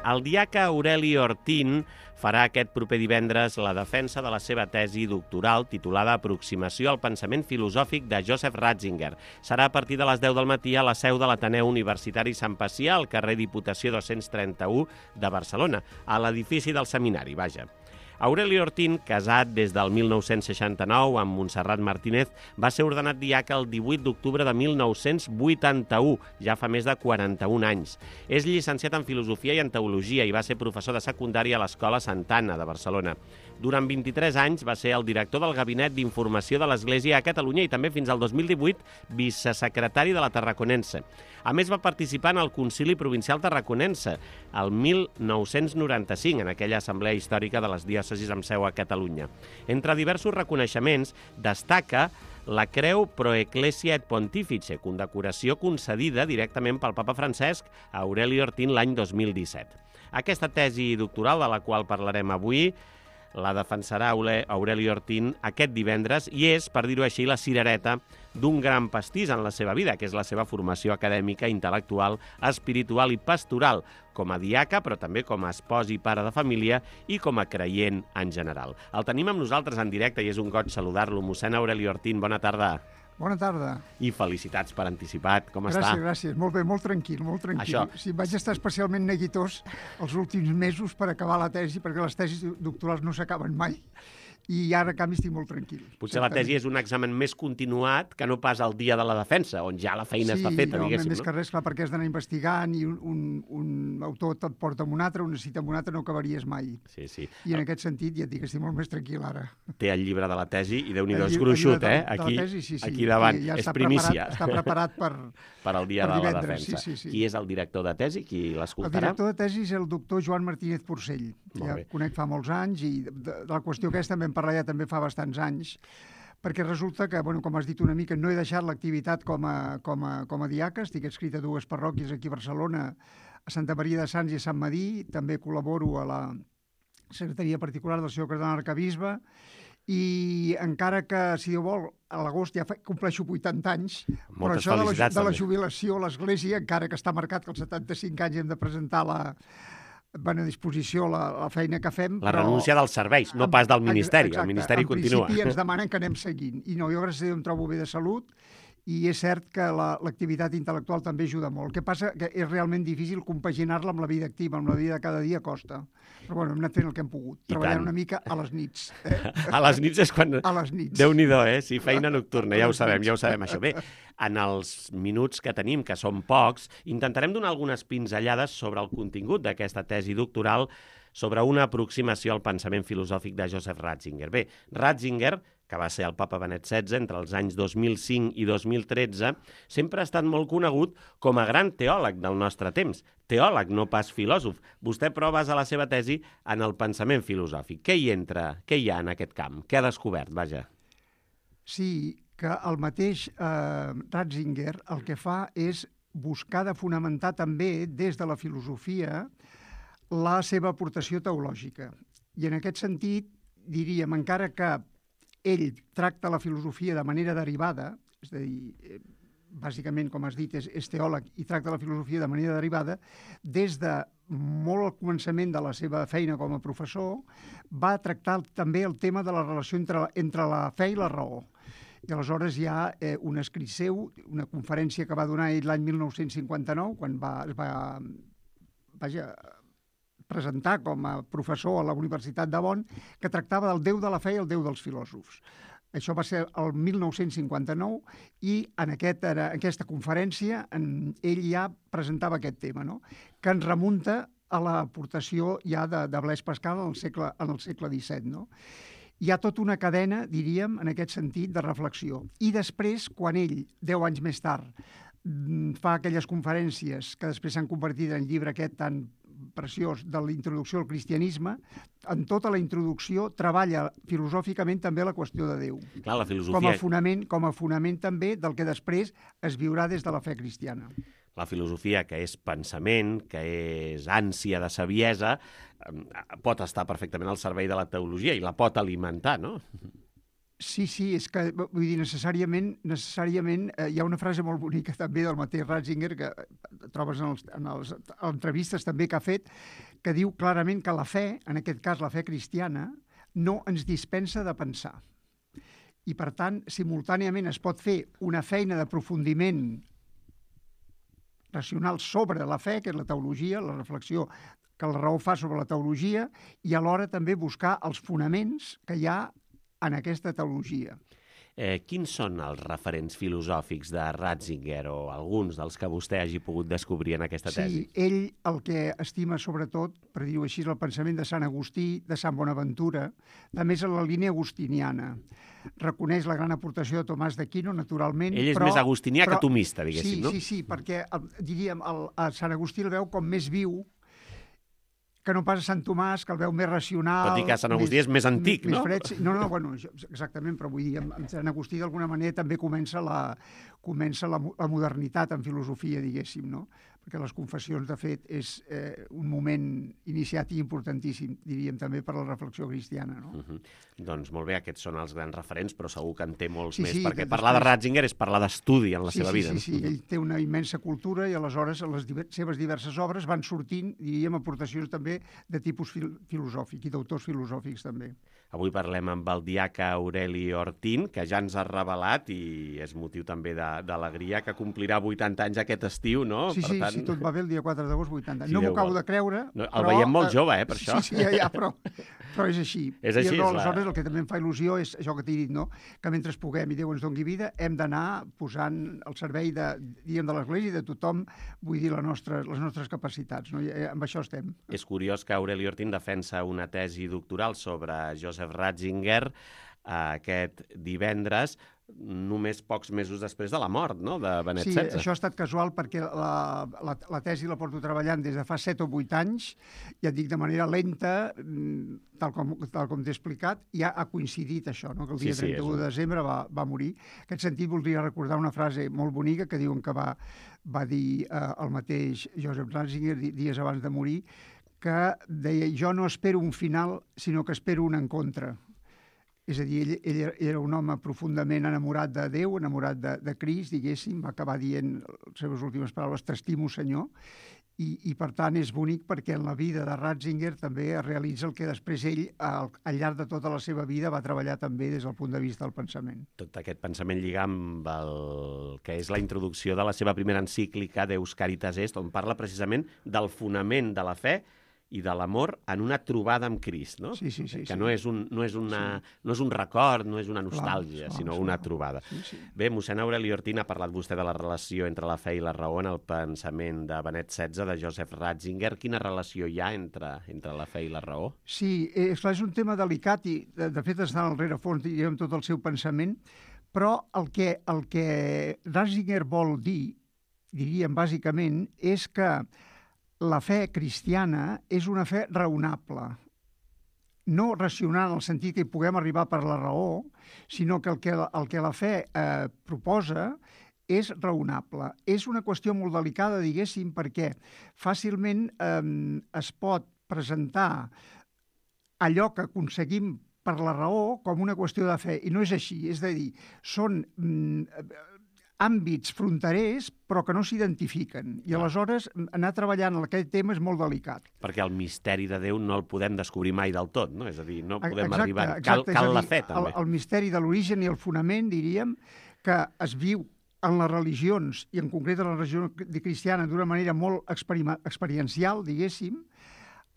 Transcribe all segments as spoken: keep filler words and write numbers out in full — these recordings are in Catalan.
El diaca Aureli Ortín farà aquest proper divendres la defensa de la seva tesi doctoral titulada Aproximació al pensament filosòfic de Joseph Ratzinger. Serà a partir de les deu del matí a la seu de l'Ateneu Universitari Sant Pacià, al carrer Diputació dos-cents trenta-u de Barcelona, a l'edifici del seminari, vaja. Aureli Ortín, casat des del mil nou-cents seixanta-nou amb Montserrat Martínez, va ser ordenat diaca el divuit d'octubre de mil nou-cents vuitanta-u, ja fa més de quaranta-un anys. És llicenciat en Filosofia i en Teologia i va ser professor de secundària a l'Escola Santa Anna de Barcelona. Durant vint-i-tres anys va ser el director del Gabinet d'Informació de l'Església a Catalunya i també fins al dos mil divuit vicesecretari de la Tarraconense. A més, va participar en el Concili Provincial Tarraconense el mil nou-cents noranta-cinc, en aquella assemblea històrica de les diòcesis amb seu a Catalunya. Entre diversos reconeixements, destaca la Creu Pro Ecclesia et Pontifice, condecoració concedida directament pel papa Francesc a Aureli Ortín l'any dos mil disset. Aquesta tesi doctoral, de la qual parlarem avui, la defensarà Aureli Ortín aquest divendres i és, per dir-ho així, la cirereta d'un gran pastís en la seva vida, que és la seva formació acadèmica, intel·lectual, espiritual i pastoral, com a diaca, però també com a espòs i pare de família i com a creient en general. El tenim amb nosaltres en directe i és un goig saludar-lo. Mossèn Aureli Ortín, bona tarda. Bona tarda. I felicitats per anticipat. Com gràcies, està? Gràcies, gràcies. Molt bé, molt tranquil, molt tranquil. Això... Sí, vaig estar especialment neguitós els últims mesos per acabar la tesi, perquè les tesis doctorals no s'acaben mai. I ara, a canvi, estic molt tranquil. Potser la tesi és un examen més continuat que no pas el dia de la defensa, on ja la feina sí, està feta, diguéssim. Sí, més no? que res, clar, perquè has d'anar investigant i un, un, un autor et porta amb un altre, una cita amb un altre, no acabaries mai. Sí, sí. I en aquest sentit ja et dic que estic molt més tranquil ara. Té el llibre de la tesi i Déu-n'hi-do, és El llibre gruixut, de, eh? de Aquí, tesi, sí, sí. aquí davant, ja és està primícia. Preparat, està preparat per, per al dia per de la divendres, defensa. sí, sí, sí. Qui és el director de tesi? Qui El l'escoltarà? director de tesi és el doctor Joan Martínez Porcell, que ja conec fa molts anys, i de, de la qüestió aquesta en vam parlar ja també fa bastants anys, perquè resulta que, bueno, com has dit una mica, no he deixat l'activitat com a, com a, com a diaca, estic adscrit a dues parròquies aquí a Barcelona, a Santa Maria de Sants i a Sant Madí, també col·laboro a la secretaria particular del senyor cardenal arcabisbe, i encara que, si Déu vol, a l'agost ja fa, compleixo vuitanta anys, Moltes però això de la, de la també. jubilació a l'Església, encara que està marcat que als setanta-cinc anys hem de presentar la bona disposició la, la feina que fem. La però... renúncia dels serveis, no pas del Ministeri. Exacte, el Ministeri en continua. En principi ens demanen que anem seguint. I no, jo gràcies a Déu em trobo bé de salut, i és cert que l'activitat la, intel·lectual també ajuda molt. El que passa que és realment difícil compaginar-la amb la vida activa, amb la vida de cada dia costa. Però bueno, hem anat fent el que hem pogut, I treballant tant. una mica a les nits. Eh? A les nits és quan... A les nits. Déu-n'hi-do, eh? Sí, feina nocturna, ja ho sabem, ja ho sabem, això. Bé, en els minuts que tenim, que són pocs, intentarem donar algunes pinzellades sobre el contingut d'aquesta tesi doctoral sobre una aproximació al pensament filosòfic de Joseph Ratzinger. Bé, Ratzinger, que va ser el papa Benet setze entre els anys dos mil cinc i dos mil tretze, sempre ha estat molt conegut com a gran teòleg del nostre temps. Teòleg, no pas filòsof. Vostè, però, basa la seva tesi en el pensament filosòfic. Què hi entra? Què hi ha en aquest camp? Què ha descobert, vaja? Sí, que el mateix eh, Ratzinger el que fa és buscar de fonamentar també des de la filosofia la seva aportació teològica. I en aquest sentit, diríem, encara que ell tracta la filosofia de manera derivada, és a dir, bàsicament, com has dit, és, és teòleg i tracta la filosofia de manera derivada, des de molt al començament de la seva feina com a professor, va tractar també el tema de la relació entre, entre la fe i la raó. I aleshores hi ha eh, un escrit seu, una conferència que va donar ell l'any mil nou-cents cinquanta-nou, quan va, es va vaja, presentar com a professor a la Universitat de Bonn, que tractava del Déu de la fe i el Déu dels filòsofs. Això va ser el mil nou-cents cinquanta-nou i en, aquest, en aquesta conferència en, ell ja presentava aquest tema, no? Que ens remunta a l'aportació ja de, de Blaise Pascal en el segle, en el segle disset. No? Hi ha tota una cadena, diríem, en aquest sentit, de reflexió. I després, quan ell, deu anys més tard, fa aquelles conferències que després s'han convertit en llibre aquest tan preciós de la introducció al cristianisme, en tota la introducció treballa filosòficament també la qüestió de Déu. Clar, la filosofia... Com a fonament, com a fonament també del que després es viurà des de la fe cristiana. La filosofia, que és pensament, que és ànsia de saviesa, pot estar perfectament al servei de la teologia i la pot alimentar, no? Sí, sí, és que, vull dir, necessàriament, necessàriament eh, hi ha una frase molt bonica també del mateix Ratzinger, que trobes en, els, en les entrevistes també que ha fet, que diu clarament que la fe, en aquest cas la fe cristiana, no ens dispensa de pensar. I, per tant, simultàniament es pot fer una feina d'aprofundiment racional sobre la fe, que és la teologia, la reflexió que la raó fa sobre la teologia, i alhora també buscar els fonaments que hi ha en aquesta teologia. Eh, quins són els referents filosòfics de Ratzinger o alguns dels que vostè hagi pogut descobrir en aquesta tesi? Sí, ell el que estima sobretot, per dir-ho així, el pensament de Sant Agustí, de Sant Bonaventura, també és en la línia agustiniana. Reconeix la gran aportació de Tomàs d'Aquino, naturalment. Ell és però, més agustinià però, que tomista, diguéssim, sí, no? Sí, sí, perquè, el, diríem, el, el Sant Agustí el veu com més viu, que no pas a Sant Tomàs, que el veu més racional... Tot i que Sant Agustí és més antic, més, no? Més fred, sí. No, no, bueno, exactament, però vull dir, amb Sant Agustí d'alguna manera també comença la, comença la, la modernitat en filosofia, diguéssim, no? Perquè les confessions, de fet, és eh, un moment iniciàtic importantíssim, diríem, també per a la reflexió cristiana, no? Uh -huh. Doncs molt bé, aquests són els grans referents, però segur que en té molts sí, més, sí, perquè després... parlar de Ratzinger és parlar d'estudi en la sí, seva sí, vida. Sí, sí, sí, ell té una immensa cultura i aleshores a les diver seves diverses obres van sortint, diríem, aportacions també de tipus fil filosòfic i d'autors filosòfics també. Avui parlem amb el diaca Aureli Ortín, que ja ens ha revelat, i és motiu també d'alegria, que complirà vuitanta anys aquest estiu, no? Sí, per sí, tant... si tot va bé el dia quatre d'agost, vuitanta. Si no m'ho Déu acabo vol. de creure, no, el però... veiem molt jove, eh, per això. Sí, sí, ja, ja, però, però és així. És així, I és aleshores la... el que també em fa il·lusió és això que t'he dit, no? Que mentre puguem i Déu ens doni vida, hem d'anar posant al servei de, diguem, de l'Església i de tothom, vull dir, la nostra, les nostres capacitats, no? I amb això estem. És curiós que Aureli Ortín defensa una tesi doctoral sobre Joseph Ratzinger aquest divendres, només pocs mesos després de la mort, no?, de Benet sí, setze. Sí, això ha estat casual perquè la, la, la tesi la porto treballant des de fa set o vuit anys, ja et dic de manera lenta, tal com, tal com t'he explicat, ja ha coincidit això, no?, que el dia sí, sí, trenta-u de desembre va, va morir. En aquest sentit voldria recordar una frase molt bonica que diuen que va, va dir eh, el mateix Joseph Ratzinger dies abans de morir, que deia, jo no espero un final, sinó que espero un encontre. És a dir, ell, ell era un home profundament enamorat de Déu, enamorat de, de Crist, diguéssim, va acabar dient les seves últimes paraules, t'estimo, senyor, i, i per tant és bonic perquè en la vida de Ratzinger també es realitza el que després ell, al, al llarg de tota la seva vida, va treballar també des del punt de vista del pensament. Tot aquest pensament lliga amb el que és la introducció de la seva primera encíclica Deus Caritas Est, on parla precisament del fonament de la fe i de l'amor en una trobada amb Crist, no? Sí, sí, sí. Que sí. no és un, no és una, sí. no és un record, no és una nostàlgia, clar, sinó clar, una clar. trobada. Sí, sí. Bé, mossèn Aureli Ortín, ha parlat vostè de la relació entre la fe i la raó en el pensament de Benet setze, de Joseph Ratzinger. Quina relació hi ha entre, entre la fe i la raó? Sí, és, clar, és un tema delicat i, de, de fet, està al rerefons, diguem, tot el seu pensament, però el que, el que Ratzinger vol dir, diríem bàsicament, és que la fe cristiana és una fe raonable, no racional en el sentit que hi puguem arribar per la raó, sinó que el que, el que la fe eh, proposa és raonable. És una qüestió molt delicada, diguéssim, perquè fàcilment eh, es pot presentar allò que aconseguim per la raó com una qüestió de fe, i no és així. És a dir, són mm, àmbits fronterers però que no s'identifiquen. I aleshores anar treballant en aquest tema és molt delicat. Perquè el misteri de Déu no el podem descobrir mai del tot, no? És a dir, no podem exacte, arribar... Exacte, cal cal dir, la fe, també. El, el misteri de l'origen i el fonament, diríem, que es viu en les religions, i en concret en la religió cristiana, d'una manera molt experiencial, diguéssim,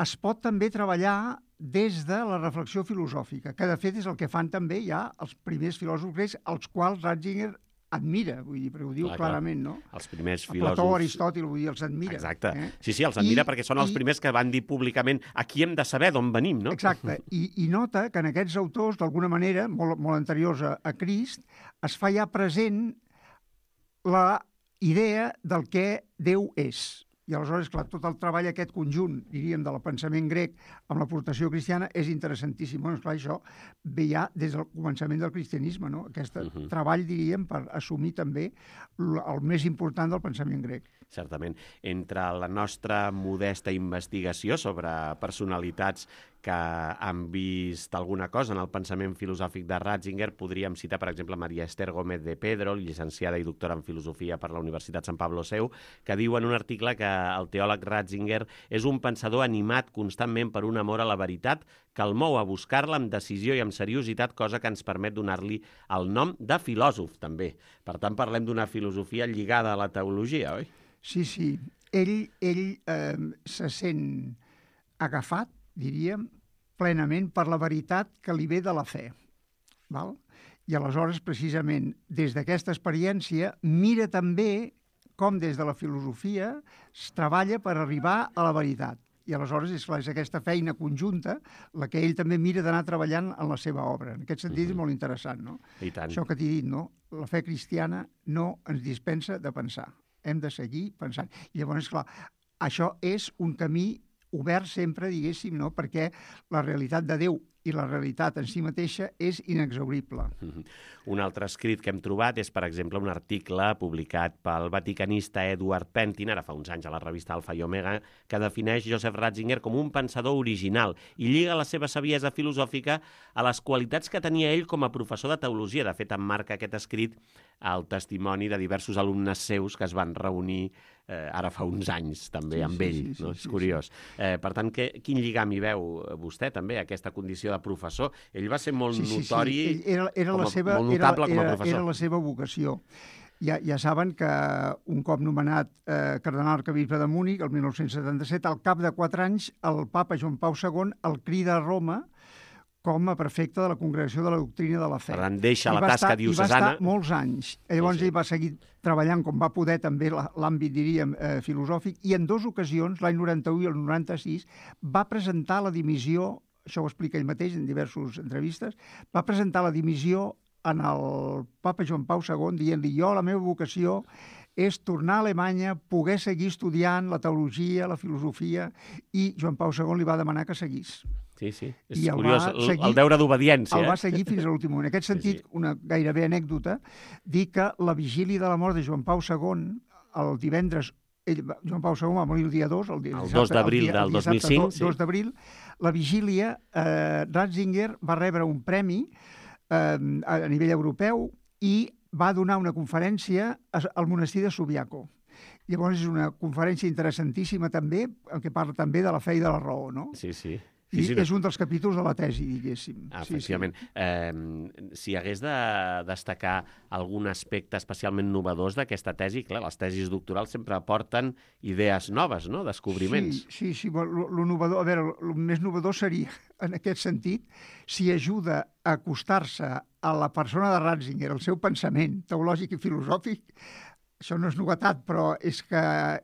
es pot també treballar des de la reflexió filosòfica, que de fet és el que fan també ja els primers filòsofs grecs, als quals Ratzinger admira, vull dir, perquè ho diu clar, clarament, no? Els primers filòsofs... Plató, Aristòtil, vull dir, els admira. Exacte. Eh? Sí, sí, els admira I, perquè són els i... primers que van dir públicament aquí hem de saber d'on venim, no? Exacte. I, I nota que en aquests autors, d'alguna manera, molt, molt anteriors a, a Crist, es fa ja present la idea del que Déu és. I aleshores, clar, tot el treball, aquest conjunt, diríem, del pensament grec amb l'aportació cristiana és interessantíssim. Bueno, esclar, això ve ja des del començament del cristianisme, no? Aquest uh -huh. treball, diríem, per assumir també el més important del pensament grec. Certament. Entre la nostra modesta investigació sobre personalitats que han vist alguna cosa en el pensament filosòfic de Ratzinger. Podríem citar, per exemple, Maria Esther Gómez de Pedro, llicenciada i doctora en filosofia per la Universitat Sant Pablo Seu, que diu en un article que el teòleg Ratzinger és un pensador animat constantment per un amor a la veritat que el mou a buscar-la amb decisió i amb seriositat, cosa que ens permet donar-li el nom de filòsof, també. Per tant, parlem d'una filosofia lligada a la teologia, oi? Sí, sí. Ell, ell eh, se sent agafat, diríem, plenament per la veritat que li ve de la fe. Val? I aleshores, precisament, des d'aquesta experiència, mira també com des de la filosofia es treballa per arribar a la veritat. I aleshores és, clar, és aquesta feina conjunta la que ell també mira d'anar treballant en la seva obra. En aquest sentit, uh-huh. és molt interessant, no? I tant. Això que t'he dit, no? La fe cristiana no ens dispensa de pensar. Hem de seguir pensant. I llavors, clar, això és un camí obert sempre, diguéssim, no? Perquè la realitat de Déu i la realitat en si mateixa és inexhaurible. Mm-hmm. Un altre escrit que hem trobat és, per exemple, un article publicat pel vaticanista Edward Pentin, ara fa uns anys a la revista Alfa i Omega, que defineix Joseph Ratzinger com un pensador original i lliga la seva saviesa filosòfica a les qualitats que tenia ell com a professor de teologia. De fet, emmarca aquest escrit el testimoni de diversos alumnes seus que es van reunir eh, ara fa uns anys, també, sí, amb ell. Sí, sí, no? Sí, és sí, curiós. Sí. Eh, per tant, que, quin lligam hi veu vostè, també, aquesta condició de professor? Ell va ser molt sí, sí, notori, sí. Era, era com a, la seva, molt notable era, com a era, professor. Era la seva vocació. Ja, ja saben que un cop nomenat eh, cardenal arquebisbe de Múnich, el mil nou-cents setanta-set, al cap de quatre anys, el papa Joan Pau segon el crida a Roma com a prefecte de la Congregació de la Doctrina de la Fe. Per tant, deixa la tasca estar, diocesana. I va estar molts anys. Llavors sí, sí. ell va seguir treballant com va poder també l'àmbit, diríem, eh, filosòfic, i en dues ocasions, l'any noranta-u i el noranta-sis, va presentar la dimissió, això ho explica ell mateix en diverses entrevistes, va presentar la dimissió en el papa Joan Pau segon dient-li: jo, la meva vocació és tornar a Alemanya, poder seguir estudiant la teologia, la filosofia, i Joan Pau segon li va demanar que seguís. Sí, sí, és I curiós, el, seguir, el deure d'obediència. El eh? va seguir fins a l'últim moment. En aquest sentit, sí, sí. una gairebé anècdota, dir que la vigília de la mort de Joan Pau segon, el divendres, ell, Joan Pau segon va morir el dia dos, el, dia, el dos d'abril del dos mil cinc, sí. dos d'abril, la vigília, eh, Ratzinger va rebre un premi eh, a nivell europeu i va donar una conferència al monestir de Subiaco. Llavors és una conferència interessantíssima també, en què parla també de la fe i de la raó, no? Sí, sí. I sí, sí, no. és un dels capítols de la tesi, diguéssim. Ah, efectivament. Sí, sí. Eh, si hagués de destacar algun aspecte especialment novedós d'aquesta tesi, clar, les tesis doctorals sempre aporten idees noves, no?, descobriments. Sí, sí, sí. Lo, lo novedor, a veure, el més novedor seria, en aquest sentit, si ajuda a acostar-se a la persona de Ratzinger, al seu pensament teològic i filosòfic. Això no és novetat, però és que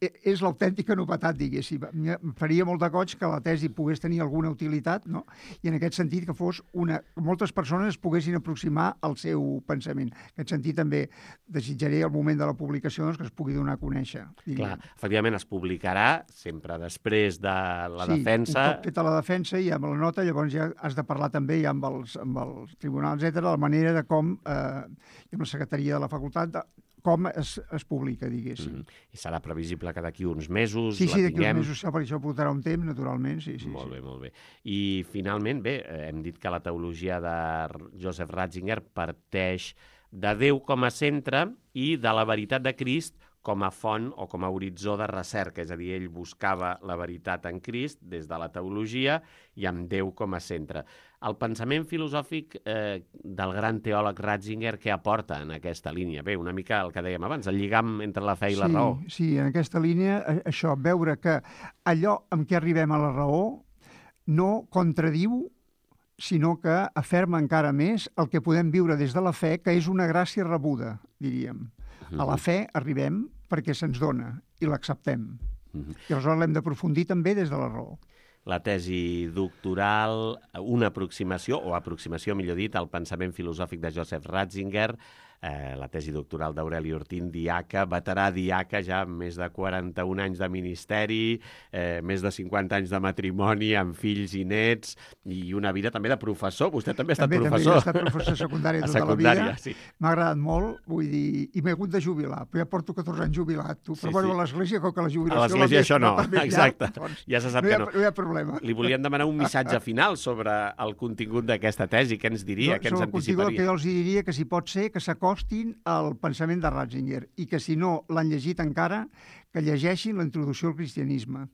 és l'autèntica novetat, diguéssim. Em faria molt de goig que la tesi pogués tenir alguna utilitat, no? I en aquest sentit que fos una... moltes persones es poguessin aproximar al seu pensament. En aquest sentit també desitjaré al moment de la publicació doncs, que es pugui donar a conèixer. Diríem. Clar, efectivament es publicarà sempre després de la sí, defensa. Sí, un cop feta la defensa i amb la nota llavors ja has de parlar també ja amb els, amb els tribunals, etcètera, la manera de com, eh, amb la secretaria de la facultat, de, com es, es publica, diguéssim. Mm. I serà previsible que d'aquí uns mesos sí, la sí, tinguem. Sí, d'aquí uns mesos, per això portarà un temps, naturalment. Sí, sí, molt sí. bé, molt bé. I finalment, bé, hem dit que la teologia de Joseph Ratzinger parteix de Déu com a centre i de la veritat de Crist com a font o com a horitzó de recerca. És a dir, ell buscava la veritat en Crist des de la teologia i amb Déu com a centre. El pensament filosòfic eh, del gran teòleg Ratzinger, què aporta en aquesta línia? Bé, una mica el que dèiem abans, el lligam entre la fe i sí, la raó. Sí, en aquesta línia, això, veure que allò amb què arribem a la raó no contradiu, sinó que aferma encara més el que podem viure des de la fe, que és una gràcia rebuda, diríem. A la fe arribem perquè se'ns dona i l'acceptem. Uh-huh. I aleshores l'hem d'aprofundir també des de la raó. La tesi doctoral, una aproximació, o aproximació, millor dit, al pensament filosòfic de Joseph Ratzinger, eh, la tesi doctoral d'Aureli Ortín, diaca, veterà diaca, ja amb més de quaranta-un anys de ministeri, eh, més de cinquanta anys de matrimoni, amb fills i nets, i una vida també de professor. Vostè també ha estat també, professor. També he estat professor secundari tota secundària, la vida. Sí. M'ha agradat molt, vull dir, i m'he hagut de jubilar, però ja porto catorze anys jubilat, tu. Però Sí, bueno, sí. a l'església, com que la jubilació... A l'església això no, exacte. Llarg, doncs, ja se sap no que ha, no. No hi ha problema. Li volíem demanar un missatge final sobre el contingut d'aquesta tesi. Què ens diria, No, què ens sobre el contingut, el que anticiparia? jo els diria que si pot ser que s'acostin al pensament de Ratzinger i que si no l'han llegit encara, que llegeixin la introducció al cristianisme,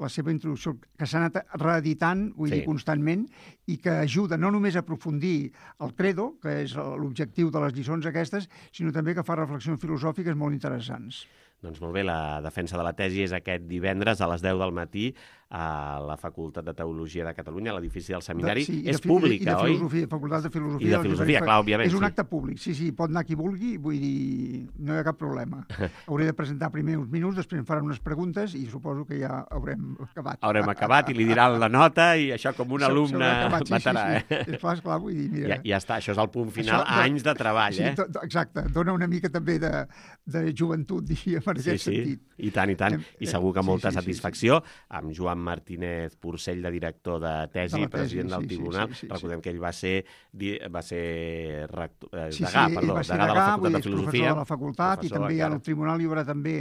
la seva introducció, que s'ha anat reeditant, vull Sí. dir, constantment, i que ajuda no només a aprofundir el credo, que és l'objectiu de les lliçons aquestes, sinó també que fa reflexions filosòfiques molt interessants. Doncs molt bé, la defensa de la tesi és aquest divendres a les deu del matí a la Facultat de Teologia de Catalunya, a l'edifici del Seminari. De, sí, és i de, pública, i de oi? filosofia, Facultat de Filosofia. I de filosofia, clar, òbviament, És un sí. acte públic, sí, sí, pot anar qui vulgui, vull dir, no hi ha cap problema. Hauré de presentar primer uns minuts, després em faran unes preguntes i suposo que ja haurem acabat. Haurem acabat i li diran la nota i això com un S'ha- alumne s'haurà acabat, sí, veterà, sí, sí. eh? Esclar, esclar, vull dir, mira... Ja, ja està, això és el punt final, Això, anys de treball, sí, eh? do- do- exacte, dona una mica també de, de joventut, diríem, en Sí, aquest sí, sentit. i tant, i tant. Hem- I segur que sí, molta sí, sí, satisfacció amb Joan Martínez Porcell, de director de tesi, De la tesi, president del sí, sí, tribunal. sí, sí, sí. Recordem que ell va ser, di- va ser rector, eh, Sí, degà, sí, perdó, ell va ser degà de la degà, Facultat vull de dir, és Filosofia. professor de la facultat, i professor també encara. al tribunal hi haurà també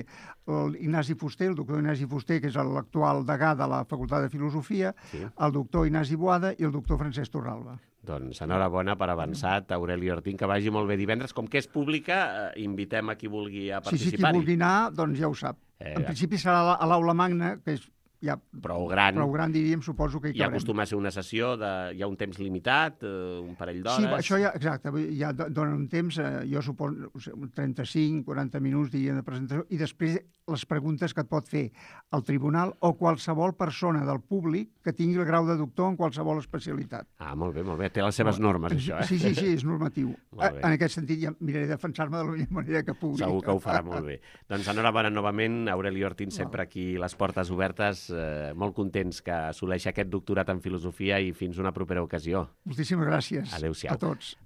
l'Ignasi Fuster, el doctor Ignasi Fuster, que és l'actual degà de la Facultat de Filosofia, Sí. el doctor Ignasi Boada i el doctor Francesc Torralba. Doncs enhorabona per avançat, Aureli Ortín, que vagi molt bé divendres. Com que és pública, eh, invitem a qui vulgui a Sí, sí, qui participar-hi. vulgui anar, doncs ja ho sap. Eh, En principi serà a la- a l'aula magna, que és ja Prou gran. prou gran, diríem, suposo que hi I cabrem. acostuma a ser una sessió de... Hi ha un temps limitat, eh, un parell d'hores... Sí, això ja, exacte, vull dir, ja do- donen un temps, eh, jo suposo, no sé, uns trenta-cinc, quaranta minuts, diríem, de presentació, i després les preguntes que et pot fer el tribunal o qualsevol persona del públic que tingui el grau de doctor en qualsevol especialitat. Ah, molt bé, molt bé. Té les seves normes, això, eh? Sí, sí, sí, és normatiu. Molt bé. En aquest sentit, ja miraré de defensar-me de la millor manera que pugui. Segur que ho farà molt bé. Doncs enhorabona novament, Aureli Ortín, sempre aquí les portes obertes, eh, molt contents que assoleixi aquest doctorat en filosofia i fins una propera ocasió. Moltíssimes gràcies Adéu-siau. a tots.